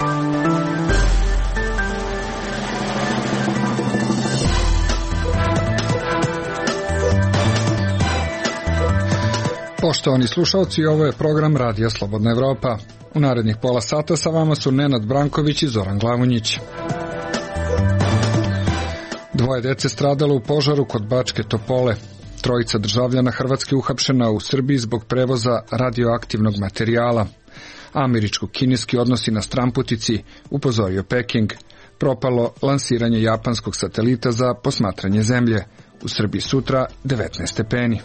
Poštovani slušalci, ovo je program Radija Slobodna Evropa. U narednih pola sata sa vama su Nenad Branković i Zoran Glavonjić. Dvoje dece stradalo u požaru kod Bačke Topole. Trojica državljana Hrvatske uhapšena u Srbiji zbog prevoza radioaktivnog materijala. Američko-kineski odnosi na stranputici, upozorio Peking. Propalo lansiranje japanskog satelita za posmatranje zemlje. U Srbiji sutra 19 stepeni.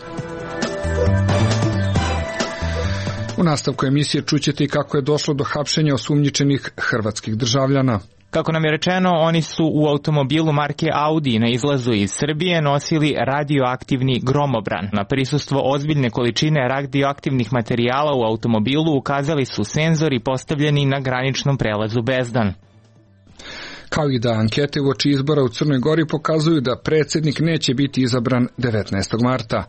U nastavku emisije čućete i kako je došlo do hapšenja osumnjičenih hrvatskih državljana. Kako nam je rečeno, oni su u automobilu marke Audi na izlazu iz Srbije nosili radioaktivni gromobran. Na prisustvo ozbiljne količine radioaktivnih materijala u automobilu ukazali su senzori postavljeni na graničnom prelazu Bezdan. Kao i da ankete uoči izbora u Crnoj Gori pokazuju da predsjednik neće biti izabran 19. marta.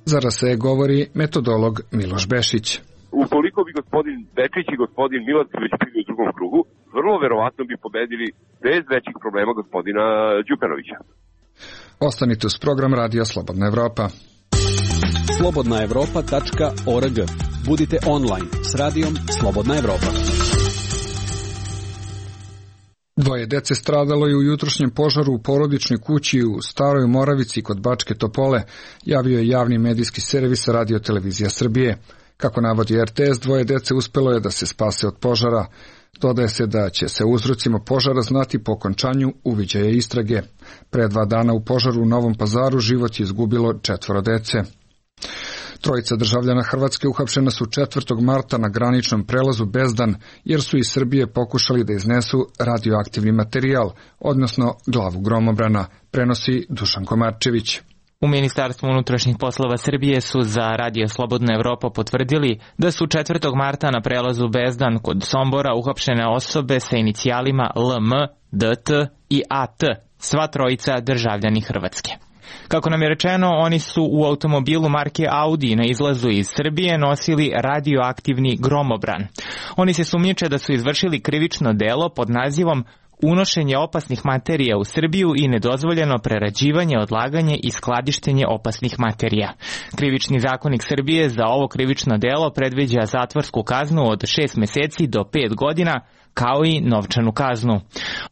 Za RSE govori metodolog Miloš Bešić. Ukoliko bi gospodin Bečić i gospodin Milošević bili u drugom krugu, vrlo verovatno bi pobedili bez većih problema gospodina Đukanovića. Ostanite uz program Radija Slobodna Evropa. slobodnaevropa.org. Budite online s radijom Slobodna Evropa. Dvoje dece stradalo je u jutrošnjem požaru u porodičnoj kući u Staroj Moravici kod Bačke Topole, javio je javni medijski servis Radio-televizija Srbije. Kako navodi RTS, dvoje dece uspelo je da se spase od požara. Dodaje se da će se uzrocima požara znati po okončanju uviđaja istrage. Pre 2 dana u požaru u Novom Pazaru život je izgubilo 4 dece. Trojica državljana Hrvatske uhapšena su 4. marta na graničnom prelazu Bezdan, jer su iz Srbije pokušali da iznesu radioaktivni materijal, odnosno glavu gromobrana, prenosi Dušan Komarčević. U Ministarstvu unutrašnjih poslova Srbije su za Radio Slobodna Evropa potvrdili da su 4. marta na prelazu Bezdan kod Sombora uhapšene osobe sa inicijalima LM, DT i AT, sva trojica državljani Hrvatske. Kako nam je rečeno, oni su u automobilu marke Audi na izlazu iz Srbije nosili radioaktivni gromobran. Oni se sumnjiče da su izvršili krivično delo pod nazivom unošenje opasnih materija u Srbiju i nedozvoljeno prerađivanje, odlaganje i skladištenje opasnih materija. Krivični zakonik Srbije za ovo krivično delo predviđa zatvorsku kaznu od 6 meseci do 5 godina, kao i novčanu kaznu.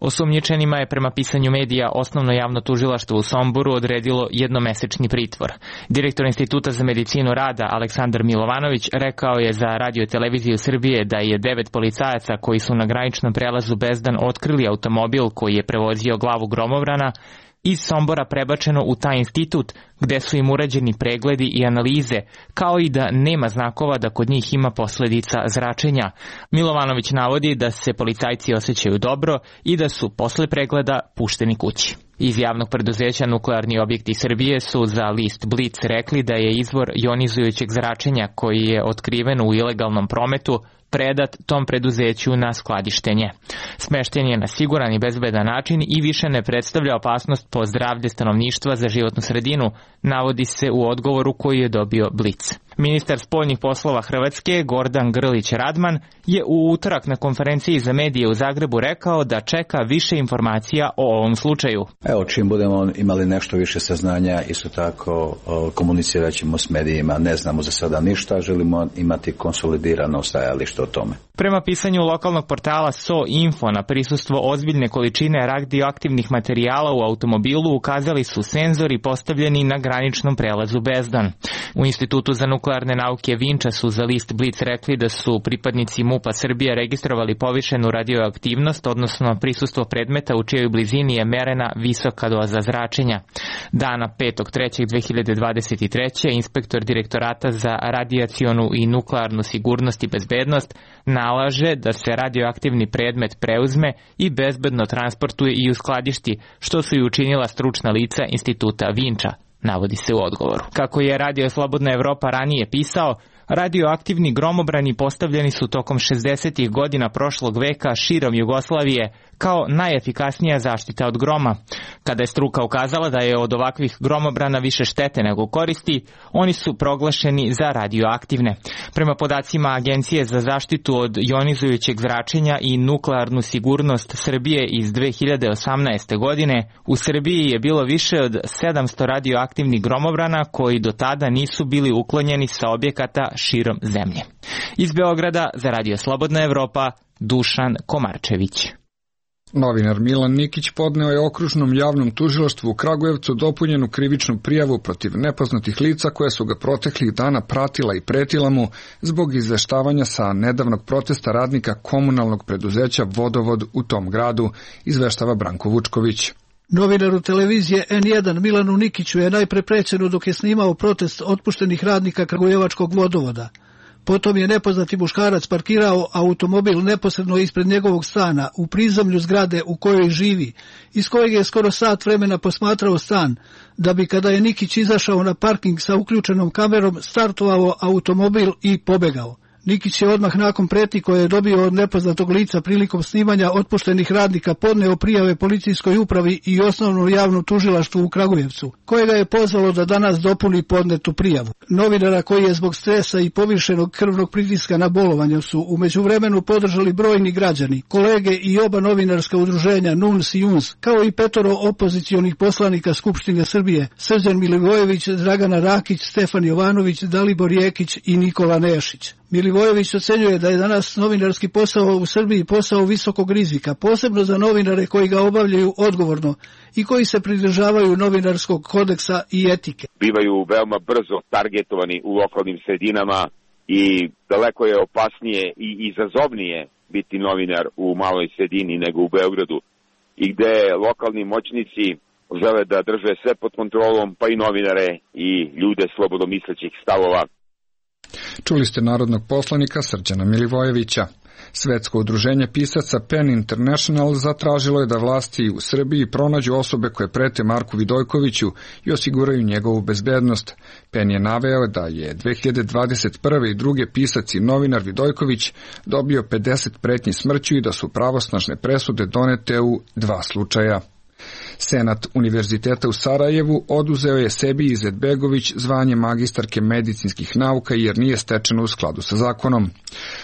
Osumnjičenima je prema pisanju medija Osnovno javno tužilaštvo u Somboru odredilo jednomesečni pritvor. Direktor Instituta za medicinu rada Aleksandar Milovanović rekao je za Radio-televiziju Srbije da je 9 policajaca koji su na graničnom prelazu Bezdan otkrili automobil koji je prevozio glavu gromobrana iz Sombora prebačeno u taj institut gde su im urađeni pregledi i analize, kao i da nema znakova da kod njih ima posledica zračenja. Milovanović navodi da se policajci osjećaju dobro i da su posle pregleda pušteni kući. Iz javnog preduzeća Nuklearni objekti Srbije su za list Blic rekli da je izvor jonizujućeg zračenja koji je otkriven u ilegalnom prometu predat tom preduzeću na skladištenje. Smešten je na siguran i bezbedan način i više ne predstavlja opasnost po zdravlje stanovništva za životnu sredinu, navodi se u odgovoru koji je dobio Blic. Ministar spoljnih poslova Hrvatske, Gordan Grlić Radman, je u utorak na konferenciji za medije u Zagrebu rekao da čeka više informacija o ovom slučaju. Evo, čim budemo imali nešto više saznanja, isto tako komunicirat ćemo s medijima. Ne znamo za sada ništa, želimo imati konsolidirano stajalište o tome. Prema pisanju lokalnog portala SO.info, na prisustvo ozbiljne količine radioaktivnih materijala u automobilu ukazali su senzori postavljeni na graničnom prelazu Bezdan. U Institutu za nuklearne nauke Vinča su za list Blic rekli da su pripadnici MUP-a Srbije registrovali povišenu radioaktivnost, odnosno prisustvo predmeta u čijoj blizini je merena visoka doza zračenja. Dana 5.3.2023. inspektor Direktorata za radijacionu i nuklearnu sigurnost i bezbednost nalaže da se radioaktivni predmet preuzme i bezbedno transportuje i uskladišti, što su i učinila stručna lica Instituta Vinča, navodi se u odgovoru. Kako je Radio Slobodna Evropa ranije pisao, radioaktivni gromobrani postavljeni su tokom 60. godina prošlog veka širom Jugoslavije kao najefikasnija zaštita od groma. Kada je struka ukazala da je od ovakvih gromobrana više štete nego koristi, oni su proglašeni za radioaktivne. Prema podacima Agencije za zaštitu od jonizujućeg zračenja i nuklearnu sigurnost Srbije iz 2018. godine, u Srbiji je bilo više od 700 radioaktivnih gromobrana koji do tada nisu bili uklonjeni sa objekata širom zemlje. Iz Beograda za Radio Slobodna Evropa, Dušan Komarčević. Novinar Milan Nikić podneo je Okružnom javnom tužilaštvu u Kragujevcu dopunjenu krivičnu prijavu protiv nepoznatih lica koja su ga proteklih dana pratila i pretila mu zbog izveštavanja sa nedavnog protesta radnika komunalnog preduzeća Vodovod u tom gradu, izveštava Branko Vučković. Novinaru televizije N1 Milanu Nikiću je najpre prećeno dok je snimao protest otpuštenih radnika Kragujevačkog vodovoda. Potom je nepoznati muškarac parkirao automobil neposredno ispred njegovog stana u prizemlju zgrade u kojoj živi, iz kojeg je skoro sat vremena posmatrao stan, da bi kada je Nikić izašao na parking sa uključenom kamerom startovao automobil i pobegao. Nikić je odmah nakon pretnji koje je dobio od nepoznatog lica prilikom snimanja otpuštenih radnika podneo prijave policijskoj upravi i osnovnom javnom tužilaštvu u Kragujevcu, koje ga je pozvalo da danas dopuni podnetu prijavu. Novinara koji je zbog stresa i povišenog krvnog pritiska na bolovanju su u međuvremenu podržali brojni građani, kolege i oba novinarska udruženja NUNS i UNS, kao i 5 opozicionih poslanika Skupštine Srbije, Srđan Milivojević, Dragana Rakić, Stefan Jovanović, Dalibor Jekić i Nikola Nešić. Milivojević ocenjuje da je danas novinarski posao u Srbiji posao visokog rizika, posebno za novinare koji ga obavljaju odgovorno i koji se pridržavaju novinarskog kodeksa i etike. Bivaju veoma brzo targetovani u lokalnim sredinama i daleko je opasnije i izazovnije biti novinar u maloj sredini nego u Beogradu, i gde lokalni moćnici žele da drže sve pod kontrolom, pa i novinare i ljude slobodomislećih stavova. Čuli ste narodnog poslanika Srđana Milivojevića. Svetsko udruženje pisaca PEN International zatražilo je da vlasti u Srbiji pronađu osobe koje prete Marku Vidojkoviću i osiguraju njegovu bezbednost. PEN je naveo da je 2021. i druge pisac i novinar Vidojković dobio 50 pretnji smrću i da su pravosnažne presude donete u 2 slučaja. Senat Univerziteta u Sarajevu oduzeo je sebi Izetbegović zvanje magistarke medicinskih nauka jer nije stečeno u skladu sa zakonom.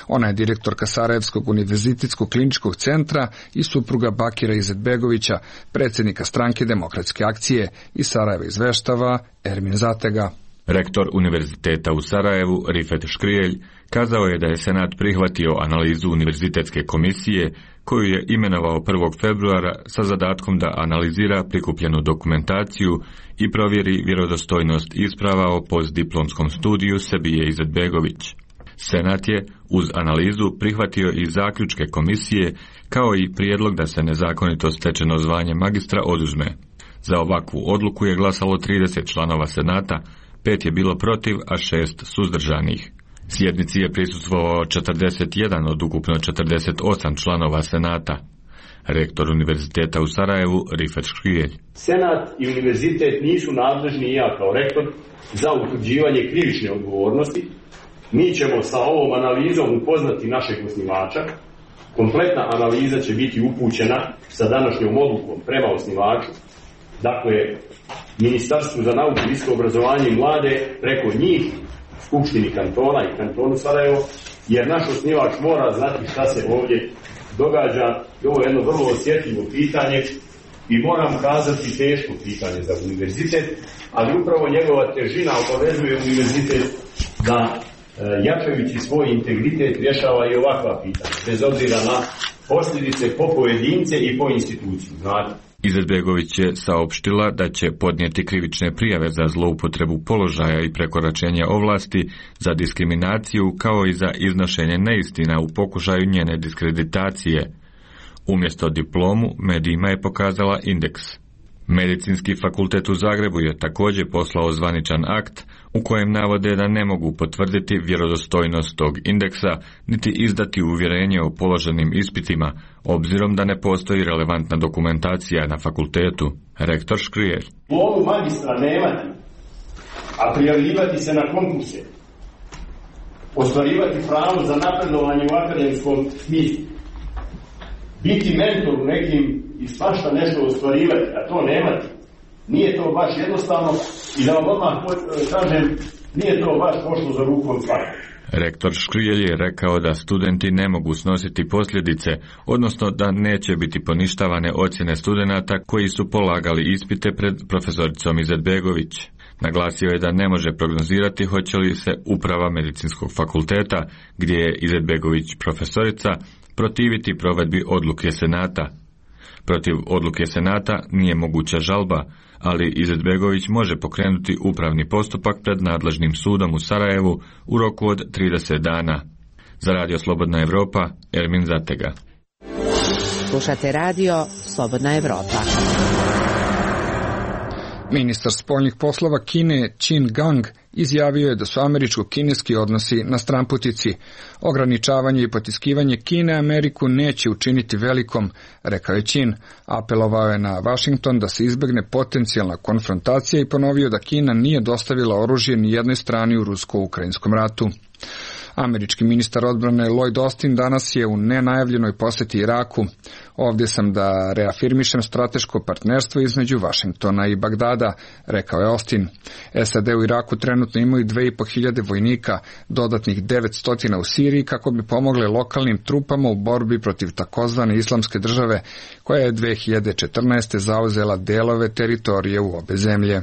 Ona je direktorka Sarajevskog univerzitetskog kliničkog centra i supruga Bakira Izetbegovića, predsjednika stranke Demokratske akcije, iz Sarajeva izveštava Ermin Zatega. Rektor Univerziteta u Sarajevu, Rifet Škrijelj, kazao je da je Senat prihvatio analizu Univerzitetske komisije koju je imenovao 1. februara sa zadatkom da analizira prikupljenu dokumentaciju i provjeri vjerodostojnost isprava o postdiplomskom studiju Sebije Izetbegović. Senat je uz analizu prihvatio i zaključke komisije kao i prijedlog da se nezakonito stečeno zvanje magistra oduzme. Za ovakvu odluku je glasalo 30 članova Senata, 5 je bilo protiv, a 6 suzdržanih. Sjednici je prisustvovao 41 od ukupno 48 članova Senata. Rektor Univerziteta u Sarajevu, Rifet Škrijelj. Senat i univerzitet nisu nadležni, i ja kao rektor, za utvrđivanje krivične odgovornosti. Mi ćemo sa ovom analizom upoznati našeg osnivača. Kompletna analiza će biti upućena sa današnjom odlukom prema osnivaču. Dakle, Ministarstvu za nauku, visoko obrazovanje i mlade, preko njih, Skupštini kantona i kantonu Sarajevo, jer naš osnivač mora znati šta se ovdje događa. I ovo je jedno vrlo osjetljivo pitanje i moram kazati teško pitanje za univerzitet, ali upravo njegova težina obavezuje univerzitet da, jačajući svoj integritet, rješava i ovakva pitanja, bez obzira na posljedice po pojedince i po instituciju. Znate. Izetbegović je saopštila da će podnijeti krivične prijave za zloupotrebu položaja i prekoračenje ovlasti, za diskriminaciju kao i za iznošenje neistina u pokušaju njene diskreditacije. Umjesto diplomu medijima je pokazala indeks. Medicinski fakultet u Zagrebu je također poslao zvaničan akt u kojem navode da ne mogu potvrditi vjerodostojnost tog indeksa niti izdati uvjerenje o položenim ispitima, obzirom da ne postoji relevantna dokumentacija na fakultetu. Rektor Škrijelj. Diplomu magistra nemati, a prijavljivati se na konkurse, ostvarivati pravo za napredovanje u akademskom smislu, biti mentor u nekim i svašta nešto ostvarivati, a to nemati, nije to baš jednostavno i da vam odmah kažem, nije to baš pošlo za rukom svakog. Rektor Škrijelj je rekao da studenti ne mogu snositi posljedice, odnosno da neće biti poništavane ocjene studenata koji su polagali ispite pred profesoricom Izetbegović. Naglasio je da ne može prognozirati hoće li se uprava medicinskog fakulteta, gdje je Izetbegović profesorica, protiviti provedbi odluke Senata. Protiv odluke Senata nije moguća žalba, ali Izetbegović može pokrenuti upravni postupak pred nadležnim sudom u Sarajevu u roku od 30 dana. Za Radio Slobodna Evropa, Ermin Zatega. Slušate Radio Slobodna Evropa. Ministar spoljnih poslova Kine Qin Gang izjavio je da su američko-kineski odnosi na stranputici. Ograničavanje i potiskivanje Kine Ameriku neće učiniti velikom, rekao je Qin. Apelovao je na Washington da se izbegne potencijalna konfrontacija i ponovio da Kina nije dostavila oružje ni jednoj strani u rusko-ukrajinskom ratu. Američki ministar odbrane Lloyd Austin danas je u nenajavljenoj posjeti Iraku. Ovdje sam da reafirmišem strateško partnerstvo između Vašingtona i Bagdada, rekao je Austin. SAD u Iraku trenutno imaju 2.500 vojnika, dodatnih 900 u Siriji kako bi pomogle lokalnim trupama u borbi protiv takozvane islamske države, koja je 2014. zauzela delove teritorije u obe zemlje.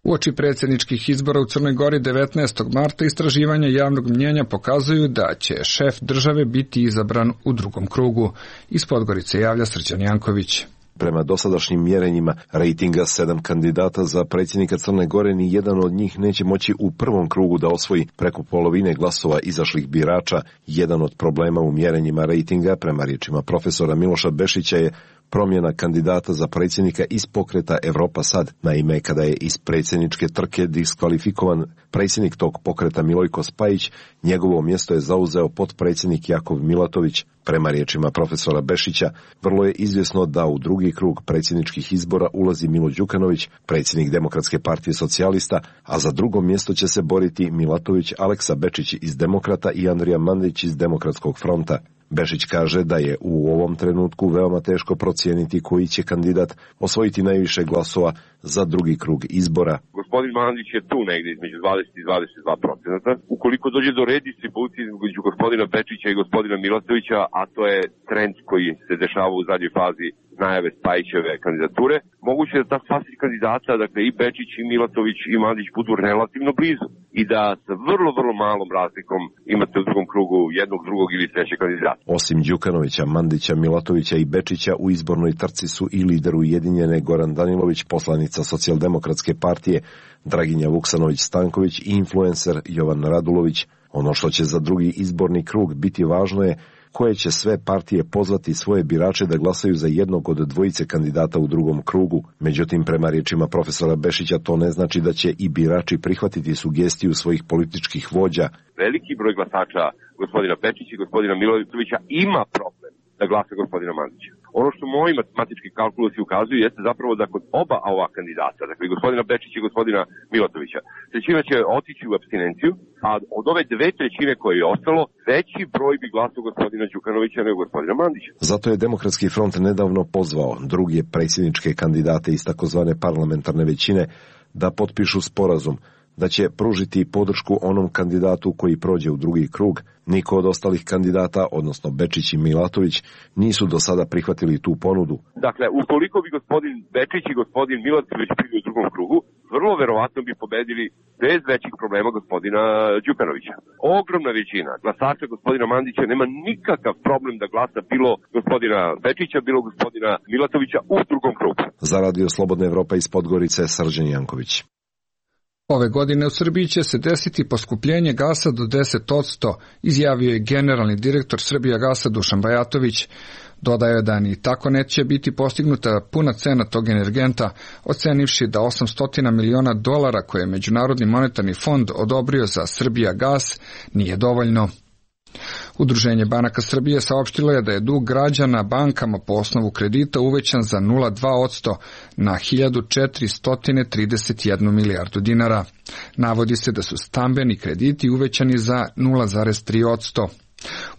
Uoči predsjedničkih izbora u Crnoj Gori 19. marta istraživanja javnog mnjenja pokazuju da će šef države biti izabran u drugom krugu. Iz Podgorice javlja Srđan Janković. Prema dosadašnjim mjerenjima rejtinga 7 kandidata za predsjednika Crne Gore, ni jedan od njih neće moći u prvom krugu da osvoji preko polovine glasova izašlih birača. Jedan od problema u mjerenjima rejtinga, prema riječima profesora Miloša Bešića, je promjena kandidata za predsjednika iz pokreta Evropa Sad. Naime, kada je iz predsjedničke trke diskvalifikovan predsjednik tog pokreta Milojko Spajić, njegovo mjesto je zauzeo potpredsjednik Jakov Milatović. Prema riječima profesora Bešića, vrlo je izvjesno da u drugi krug predsjedničkih izbora ulazi Milo Đukanović, predsjednik Demokratske partije socijalista, a za drugo mjesto će se boriti Milatović, Aleksa Bečić iz Demokrata i Andrija Mandić iz Demokratskog fronta. Bešić kaže da je u ovom trenutku veoma teško procijeniti koji će kandidat osvojiti najviše glasova za drugi krug izbora. Gospodin Mandić je tu negdje između 20 i 22%. Ukoliko dođe do redistribucije između gospodina Bečića i gospodina Milatovića, a to je trend koji se dešava u zadnjoj fazi najave Spajićeve kandidature, moguće da ta spasi kandidata, dakle i Bečić i Milatović i Mandić budu relativno blizu i da sa vrlo, vrlo malom razlikom imate u drugom krugu jednog, drugog ili trećeg kandidata. Osim Đukanovića, Mandića, Milatovića i Bečića, u izbornoj trci su i lider Ujedinjene Goran Danilović, poslanica Socijaldemokratske partije, Draginja Vuksanović-Stanković i influencer Jovan Radulović. Ono što će za drugi izborni krug biti važno je koje će sve partije pozvati svoje birače da glasaju za jednog od dvojice kandidata u drugom krugu. Međutim, prema riječima profesora Bešića, to ne znači da će i birači prihvatiti sugestiju svojih političkih vođa. Veliki broj glasača gospodina Bečića i gospodina Milatovića ima problem da glasa gospodina Mandića. Ono što moji matematički kalkulusi ukazuju jeste zapravo da kod oba ova kandidata, dakle gospodina Bečića i gospodina Milatovića, trećina će otići u apstinenciju, a od ove 2/3 koje je ostalo, veći broj bi glasao gospodina Đukanovića nego gospodina Mandića. Zato je Demokratski front nedavno pozvao druge predsjedničke kandidate iz takozvane parlamentarne većine da potpišu sporazum da će pružiti podršku onom kandidatu koji prođe u drugi krug. Niko od ostalih kandidata, odnosno Bečić i Milatović, nisu do sada prihvatili tu ponudu. Dakle, ukoliko bi gospodin Bečić i gospodin Milatović bili u drugom krugu, vrlo verovatno bi pobedili bez većih problema gospodina Đukanovića. Ogromna većina glasača gospodina Mandića nema nikakav problem da glasa bilo gospodina Bečića, bilo gospodina Milatovića u drugom krugu. Za Radio Slobodna Evropa iz Podgorice, Srđan Janković. Ove godine u Srbiji će se desiti poskupljenje gasa do 10%, izjavio je generalni direktor Srbijagasa Dušan Bajatović. Dodaje je da ni tako neće biti postignuta puna cena tog energenta, ocenivši da $800 miliona koje je Međunarodni monetarni fond odobrio za Srbijagas nije dovoljno. Udruženje banaka Srbije saopštilo je da je dug građana bankama po osnovu kredita uvećan za 0,2% na 1.431 milijardu dinara. Navodi se da su stambeni krediti uvećani za 0,3%.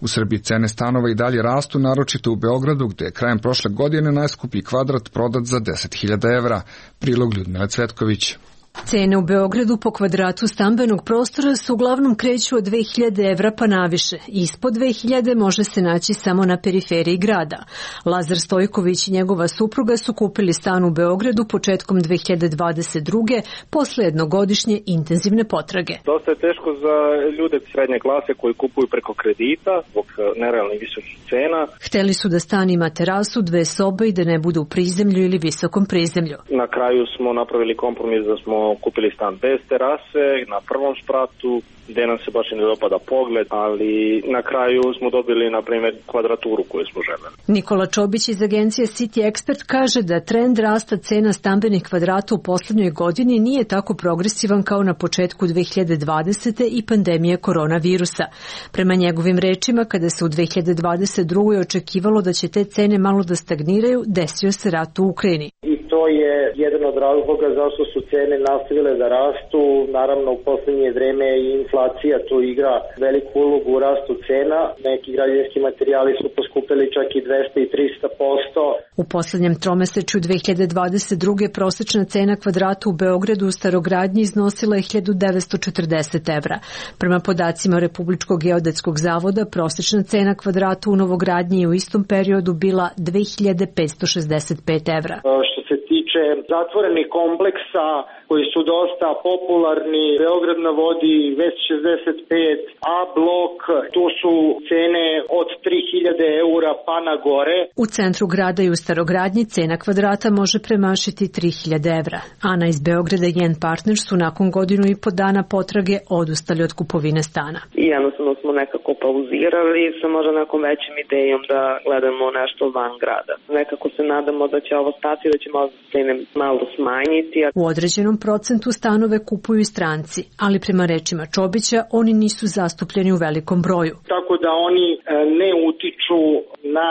U Srbiji cene stanova i dalje rastu, naročito u Beogradu, gde je krajem prošle godine najskuplji kvadrat prodat za 10.000 evra. Prilog Ljudmila Cvetković. Cene u Beogradu po kvadratu stambenog prostora su uglavnom kreću od 2000 evra pa naviše. Ispod 2000 može se naći samo na periferiji grada. Lazar Stojković i njegova supruga su kupili stan u Beogradu početkom 2022. posle jednogodišnje intenzivne potrage. Dosta je teško za ljude srednje klase koji kupuju preko kredita zbog nerealnih visokih cena. Hteli su da stan ima terasu, 2 sobe i da ne bude u prizemlju ili visokom prizemlju. Na kraju smo napravili kompromis da smo kupili stan bez terase na prvom spratu, gde nam se baš ne dopada pogled, ali na kraju smo dobili, na primjer, kvadraturu koju smo želeli. Nikola Čobić iz agencije City Expert kaže da trend rasta cena stambenih kvadrata u poslednjoj godini nije tako progresivan kao na početku 2020. i pandemije koronavirusa. Prema njegovim rečima, kada se u 2022. očekivalo da će te cene malo da stagniraju, desio se rat u Ukrajini. I to je jedan od razloga zašto su cene nastavile da rastu. Naravno, u poslednje vreme i inflacija tu igra veliku ulogu u rastu cena. Neki građevinski materijali su poskupili čak i 200 i 300%. U poslednjem tromesečju 2022. prosečna cena kvadrata u Beogradu u starogradnji iznosila je 1940 evra. Prema podacima Republičkog geodetskog zavoda, prosečna cena kvadrata u novogradnji je u istom periodu bila 2565 evra. Što se tiče zatvorenih kompleksa koji su dosta popularni, Beograd na vodi, Vest 65, A blok, tu su cene od 3000 eura pa na gore. U centru grada i u starogradnji cena kvadrata može premašiti 3000 evra. Ana iz Beograda i njen partner su nakon godinu i po dana potrage odustali od kupovine stana. I jednostavno smo nekako pauzirali sa možda nekom većim idejom da gledamo nešto van grada. Nekako se nadamo da će ovo stati, da će možda cene malo smanjiti. U određenom procentu stanove kupuju i stranci, ali prema rečima Čobića oni nisu zastupljeni u velikom broju. Tako da oni ne utiču na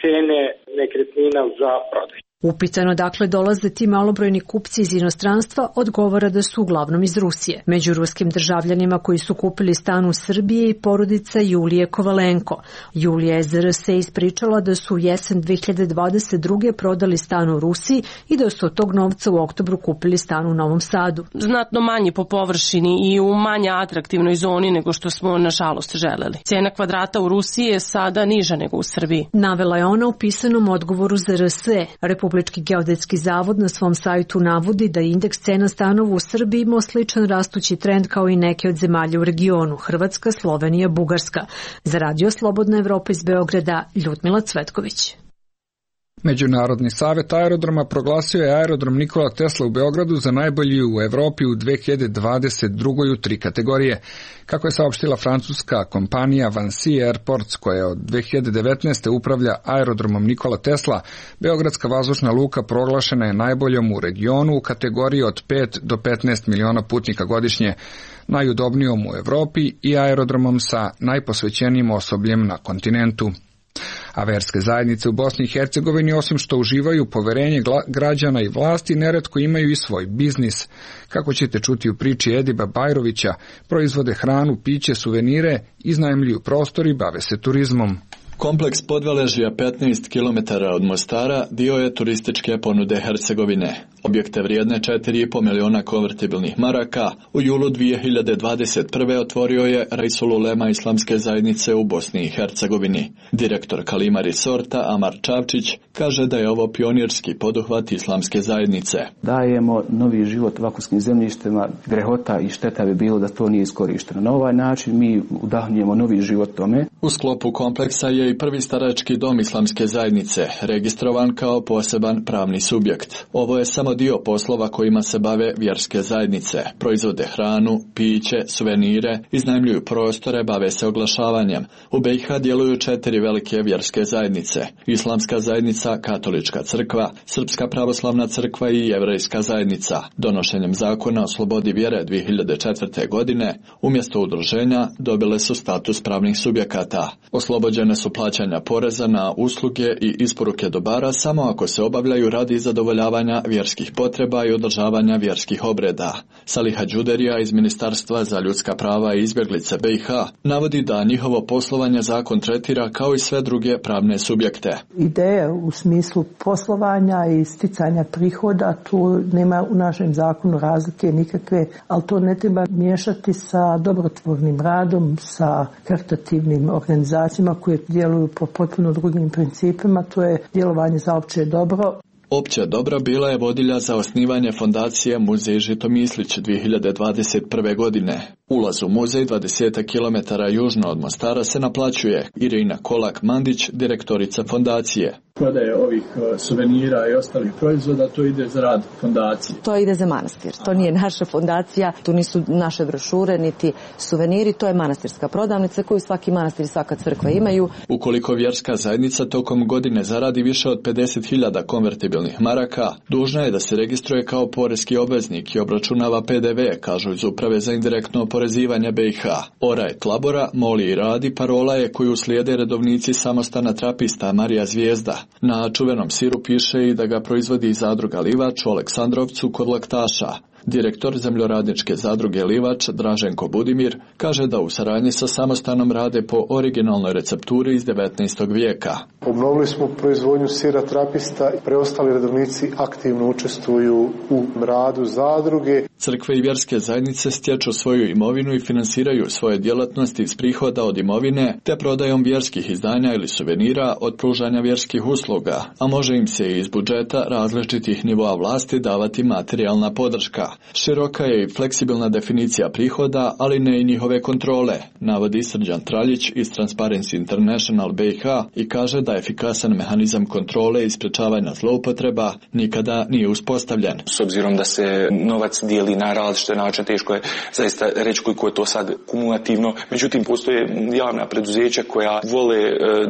cene nekretnina za prodaj. Upitano dakle dolaze ti malobrojni kupci iz inostranstva, odgovara da su uglavnom iz Rusije. Među ruskim državljanima koji su kupili stan u Srbiji i porodica Julije Kovalenko. Julija je za RS ispričala da su u jesen 2022. prodali stan u Rusiji i da su od tog novca u oktobru kupili stan u Novom Sadu. Znatno manji po površini i u manje atraktivnoj zoni nego što smo nažalost želeli. Cena kvadrata u Rusiji je sada niža nego u Srbiji. Navela je ona u pisanom odgovoru za RS. Republički geodetski zavod na svom sajtu navodi da je indeks cena stanova u Srbiji imao sličan rastući trend kao i neke od zemalja u regionu, Hrvatska, Slovenija, Bugarska. Za Radio Slobodna Evropa iz Beograda, Ljudmila Cvetković. Međunarodni savet aerodroma proglasio je aerodrom Nikola Tesla u Beogradu za najbolji u Evropi u 2022. u 3 kategorije. Kako je saopštila francuska kompanija Vinci Airports, koja od 2019. upravlja aerodromom Nikola Tesla, beogradska vazdušna luka proglašena je najboljom u regionu u kategoriji od 5 do 15 miliona putnika godišnje, najudobnijom u Evropi i aerodromom sa najposvećenijim osobljem na kontinentu. A verske zajednice u Bosni i Hercegovini, osim što uživaju poverenje građana i vlasti, neretko imaju i svoj biznis. Kako ćete čuti u priči Ediba Bajrovića, proizvode hranu, piće, suvenire, iznajmljuju prostor i bave se turizmom. Kompleks Podveležja 15 km od Mostara dio je turističke ponude Hercegovine. Objekte vrijedne 4,5 miliona konvertibilnih maraka u julu 2021. otvorio je Reisul Ulema Islamske zajednice u Bosni i Hercegovini. Direktor Kalima Resorta Amar Čavčić kaže da je ovo pionirski poduhvat Islamske zajednice. Dajemo novi život vakuumskim zemljištima, grehota i šteta bi bilo da to nije iskorišteno. Na ovaj način mi udahnjujemo novi život tome. U sklopu kompleksa je i prvi starački dom Islamske zajednice, registrovan kao poseban pravni subjekt. Ovo je samo dio poslova kojima se bave vjerske zajednice. Proizvode hranu, piće, suvenire, iznajmljuju prostore, bave se oglašavanjem. U BiH djeluju 4 velike vjerske zajednice. Islamska zajednica, Katolička crkva, Srpska pravoslavna crkva i Jevrejska zajednica. Donošenjem zakona o slobodi vjere 2004. godine, umjesto udruženja, dobile su status pravnih subjekata. Oslobođene su plaćanja poreza na usluge i isporuke dobara samo ako se obavljaju radi zadovoljavanja vjerskih vjerskih potreba i održavanja vjerskih obreda. Saliha Đuderija iz Ministarstva za ljudska prava i izbjeglice BiH navodi da njihovo poslovanje zakon tretira kao i sve druge pravne subjekte. Ideje u smislu poslovanja i sticanja prihoda, tu nema u našem zakonu razlike nikakve, ali to ne treba miješati sa dobrotvornim radom, sa karitativnim organizacijama koje djeluju po potpuno drugim principima, to je djelovanje za opće dobro. Opće dobro bila je vodilja za osnivanje fondacije Muzej Žitomislić 2021. godine. Ulaz u muzej 20 km južno od Mostara se naplaćuje. Irina Kolak-Mandić, direktorica fondacije. Prodaje ovih suvenira i ostalih proizvoda, to ide za rad fondacije. To ide za manastir. To nije naša fondacija, tu nisu naše brošure, niti suveniri, to je manastirska prodavnica koju svaki manastir i svaka crkva imaju. Ukoliko vjerska zajednica tokom godine zaradi više od 50.000 konvertibilnih maraka, dužna je da se registruje kao poreski obveznik i obračunava PDV, kažu iz Uprave za indirektno oporezivanje BiH. Oraj Tlabora, moli i radi, parola je koju slijede redovnici samostana trapista Marija Zvijezda. Na čuvenom siru piše i da ga proizvodi zadruga Livač u Aleksandrovcu kod Laktaša. Direktor zemljoradničke zadruge Livač, Draženko Budimir, kaže da u saradnji sa samostanom rade po originalnoj recepturi iz 19. vijeka. Obnovili smo proizvodnju sira trapista i preostali redovnici aktivno učestvuju u radu zadruge. Crkve i vjerske zajednice stječu svoju imovinu i finansiraju svoje djelatnosti iz prihoda od imovine te prodajom vjerskih izdanja ili suvenira od pružanja vjerskih usluga, a može im se i iz budžeta različitih nivoa vlasti davati materijalna podrška. Široka je i fleksibilna definicija prihoda, ali ne i njihove kontrole, navodi Srđan Traljić iz Transparency International BiH i kaže da efikasan mehanizam kontrole i sprečavanja zloupotreba nikada nije uspostavljen. S obzirom da se novac dijeli na različite načine, teško je zaista reći koliko je to sad kumulativno. Međutim, postoje javna preduzeća koja vole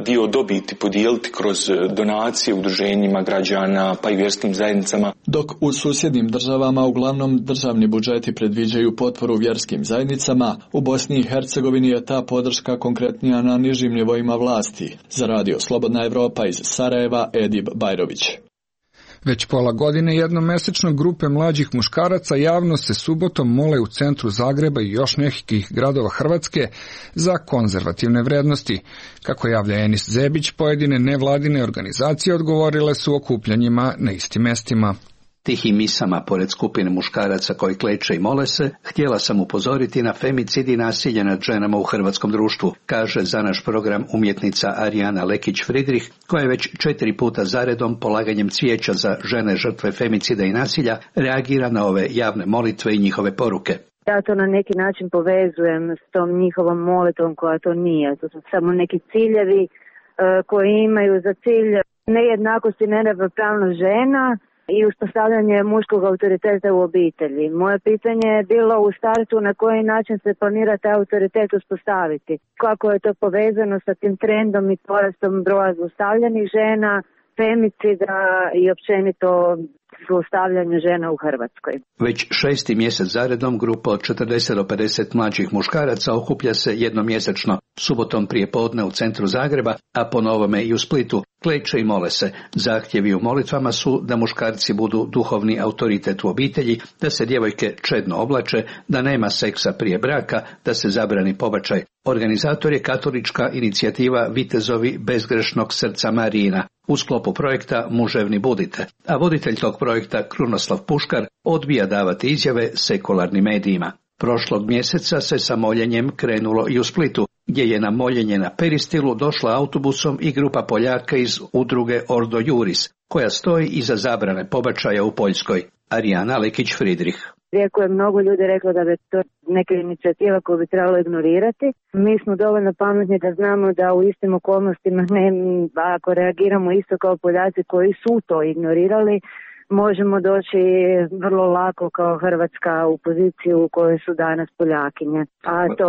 dio dobiti podijeliti kroz donacije udruženjima građana pa i vjerskim zajednicama. Dok u susjednim državama uglavnom državni budžeti predviđaju potporu vjerskim zajednicama, u Bosni i Hercegovini je ta podrška konkretnija na nižim nivoima vlasti. Za Radio Slobodna Evropa iz Sarajeva, Edib Bajrović. Već pola godine jednomesečno grupe mlađih muškaraca javno se subotom mole u centru Zagreba i još nekih gradova Hrvatske za konzervativne vrednosti. Kako javlja Enis Zebić, pojedine nevladine organizacije odgovorile su okupljanjima na istim mestima. Tihim misama, pored skupine muškaraca koji kleče i mole se, htjela sam upozoriti na femicid i nasilje nad ženama u hrvatskom društvu, kaže za naš program umjetnica Arijana Lekić-Fridrih, koja je već 4 puta zaredom polaganjem cvijeća za žene žrtve femicida i nasilja reagira na ove javne molitve i njihove poruke. Ja to na neki način povezujem s tom njihovom molitvom koja to nije. To su samo neki ciljevi koji imaju za cilj nejednakost i neravnopravnost žena i uspostavljanje muškog autoriteta u obitelji. Moje pitanje je bilo u startu na koji način se planira taj autoritet uspostaviti. Kako je to povezano sa tim trendom i porastom broja zlostavljanih žena, femicida i općenito zlostavljanje žena u Hrvatskoj. Već 6. mjesec zaredom grupa od 40 do 50 mlađih muškaraca okuplja se jednomjesečno, subotom prije podne u centru Zagreba, a po novome i u Splitu. Kleče i mole se. Zahtjevi u molitvama su da muškarci budu duhovni autoritet u obitelji, da se djevojke čedno oblače, da nema seksa prije braka, da se zabrani pobačaj. Organizator je katolička inicijativa Vitezovi bezgrešnog srca Marijina u sklopu projekta Muževni budite, a voditelj tog projekta Krunoslav Puškar odbija davati izjave sekularnim medijima. Prošlog mjeseca se sa moljenjem krenulo i u Splitu, gdje je na moljenje na Peristilu došla autobusom i grupa Poljaka iz udruge Ordo Juris, koja stoji iza zabrane pobačaja u Poljskoj. Arijana Lekić-Fridrih. Iako je mnogo ljudi reklo da bi to neka inicijativa koju bi trebalo ignorirati, mi smo dovoljno pametni da znamo da u istim okolnostima, ako reagiramo isto kao Poljaci koji su to ignorirali, možemo doći vrlo lako kao Hrvatska u poziciju u kojoj su danas Poljakinje. A to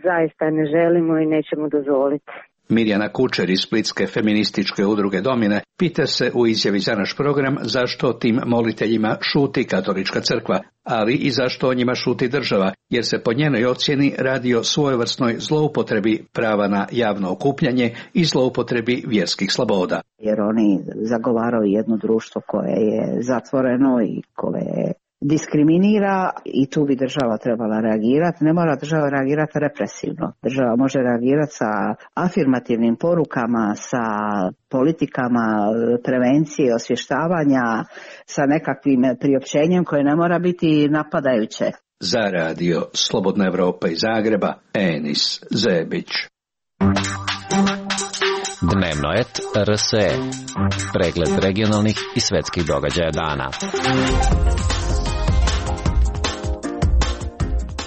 zaista ne želimo i nećemo dozvoliti. Mirjana Kučer iz splitske feminističke udruge Domine pita se u izjavi za naš program zašto tim moliteljima šuti katolička crkva, ali i zašto o njima šuti država, jer se po njenoj ocjeni radi o svojevrsnoj zloupotrebi prava na javno okupljanje i zloupotrebi vjerskih sloboda. Jer oni zagovaraju jedno društvo koje je zatvoreno i koje diskriminira i tu bi država trebala reagirati. Ne mora država reagirati represivno. Država može reagirati sa afirmativnim porukama, sa politikama prevencije, osvještavanja, sa nekakvim priopćenjem koje ne mora biti napadajuće. Za radio Slobodna Evropa iz Zagreba, Enis Zebić. Dnevno et RSE. Pregled regionalnih i svetskih događaja dana.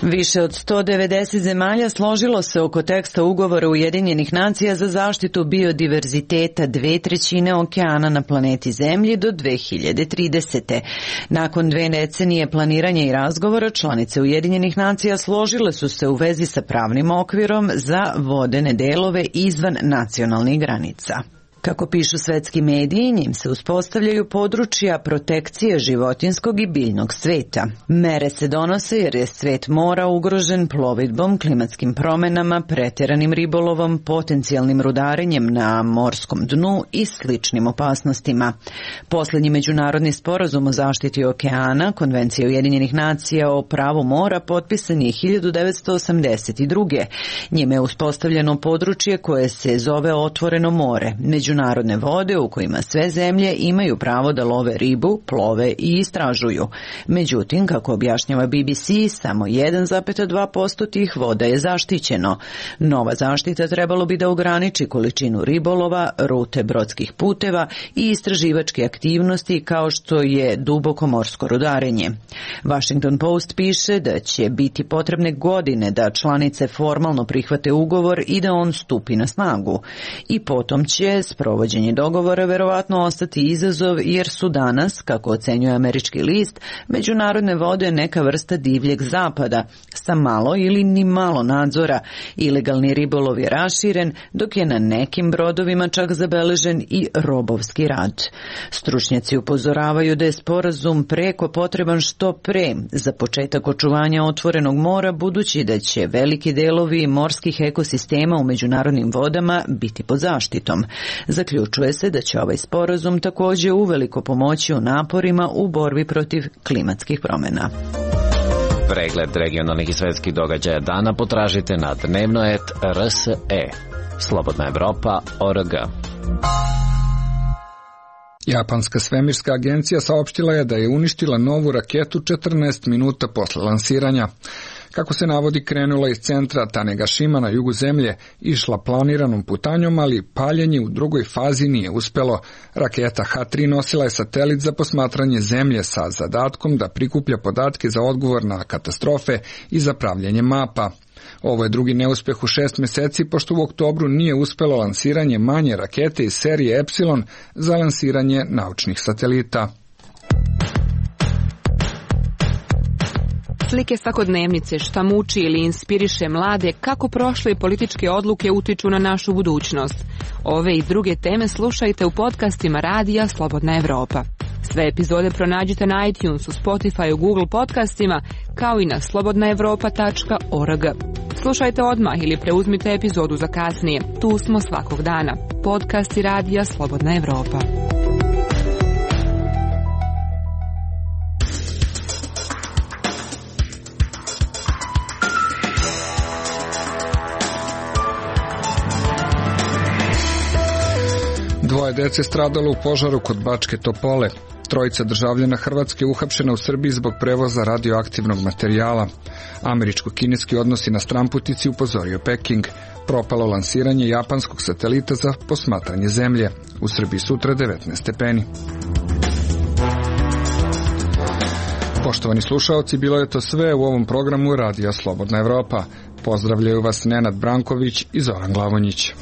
Više od 190 zemalja složilo se oko teksta ugovora Ujedinjenih nacija za zaštitu biodiverziteta 2/3 okeana na planeti Zemlji do 2030. Nakon 2 decenije planiranja i razgovora, članice Ujedinjenih nacija složile su se u vezi sa pravnim okvirom za vodene delove izvan nacionalnih granica. Kako pišu svetski mediji, njim se uspostavljaju područja protekcije životinskog i biljnog sveta. Mere se donose jer je svet mora ugrožen plovidbom, klimatskim promjenama, pretjeranim ribolovom, potencijalnim rudarenjem na morskom dnu i sličnim opasnostima. Posljednji međunarodni sporazum o zaštiti okeana, Konvencija Ujedinjenih nacija o pravu mora, potpisan je 1982. Njime je uspostavljeno područje koje se zove otvoreno more, međunarodne vode u kojima sve zemlje imaju pravo da love ribu, plove i istražuju. Međutim, kako objašnjava BBC, samo 1,2% tih voda je zaštićeno. Nova zaštita trebalo bi da ograniči količinu ribolova, rute brodskih puteva i istraživačke aktivnosti kao što je duboko morsko rudarenje. Washington Post piše da će biti potrebne godine da članice formalno prihvate ugovor i da on stupi na snagu. I potom će sprovođenje dogovora verovatno ostati izazov jer su danas, kako ocenjuje američki list, međunarodne vode neka vrsta divljeg zapada sa malo ili ni malo nadzora. Ilegalni ribolov je raširen, dok je na nekim brodovima čak zabeležen i robovski rad. Stručnjaci upozoravaju da je sporazum preko potreban što pre za početak očuvanja otvorenog mora, budući da će veliki delovi morskih ekosistema u međunarodnim vodama biti pod zaštitom. Zaključuje se da će ovaj sporazum također uveliko pomoći u naporima u borbi protiv klimatskih promjena. Pregled regionalnih i svetskih događaja dana potražite na dnevnoet.rse. Slobodna Evropa.org. Japanska svemirska agencija saopštila je da je uništila novu raketu 14 minuta posle lansiranja. Kako se navodi, krenula iz centra Tanegashima na jugu zemlje, išla planiranom putanjom, ali paljenje u drugoj fazi nije uspelo. Raketa H3 nosila je satelit za posmatranje zemlje sa zadatkom da prikuplja podatke za odgovor na katastrofe i za pravljenje mapa. Ovo je drugi neuspeh u 6 mjeseci, pošto u oktobru nije uspelo lansiranje manje rakete iz serije Epsilon za lansiranje naučnih satelita. Slike svakodnevnice, šta muči ili inspiriše mlade, kako prošle političke odluke utiču na našu budućnost. Ove i druge teme slušajte u podcastima Radija Slobodna Evropa. Sve epizode pronađite na iTunesu, Spotify, Google podcastima, kao i na slobodnaevropa.org. Slušajte odmah ili preuzmite epizodu za kasnije. Tu smo svakog dana. Podcasti Radija Slobodna Evropa. Dvoje dece stradalo u požaru kod Bačke Topole. Trojica državljana Hrvatske uhapšena u Srbiji zbog prevoza radioaktivnog materijala. Američko-kineski odnosi na stranputici upozorio Peking. Propalo lansiranje japanskog satelita za posmatranje zemlje. U Srbiji sutra 19 stepeni. Poštovani slušaoci, bilo je to sve u ovom programu Radija Slobodna Evropa. Pozdravljaju vas Nenad Branković i Zoran Glavonjić.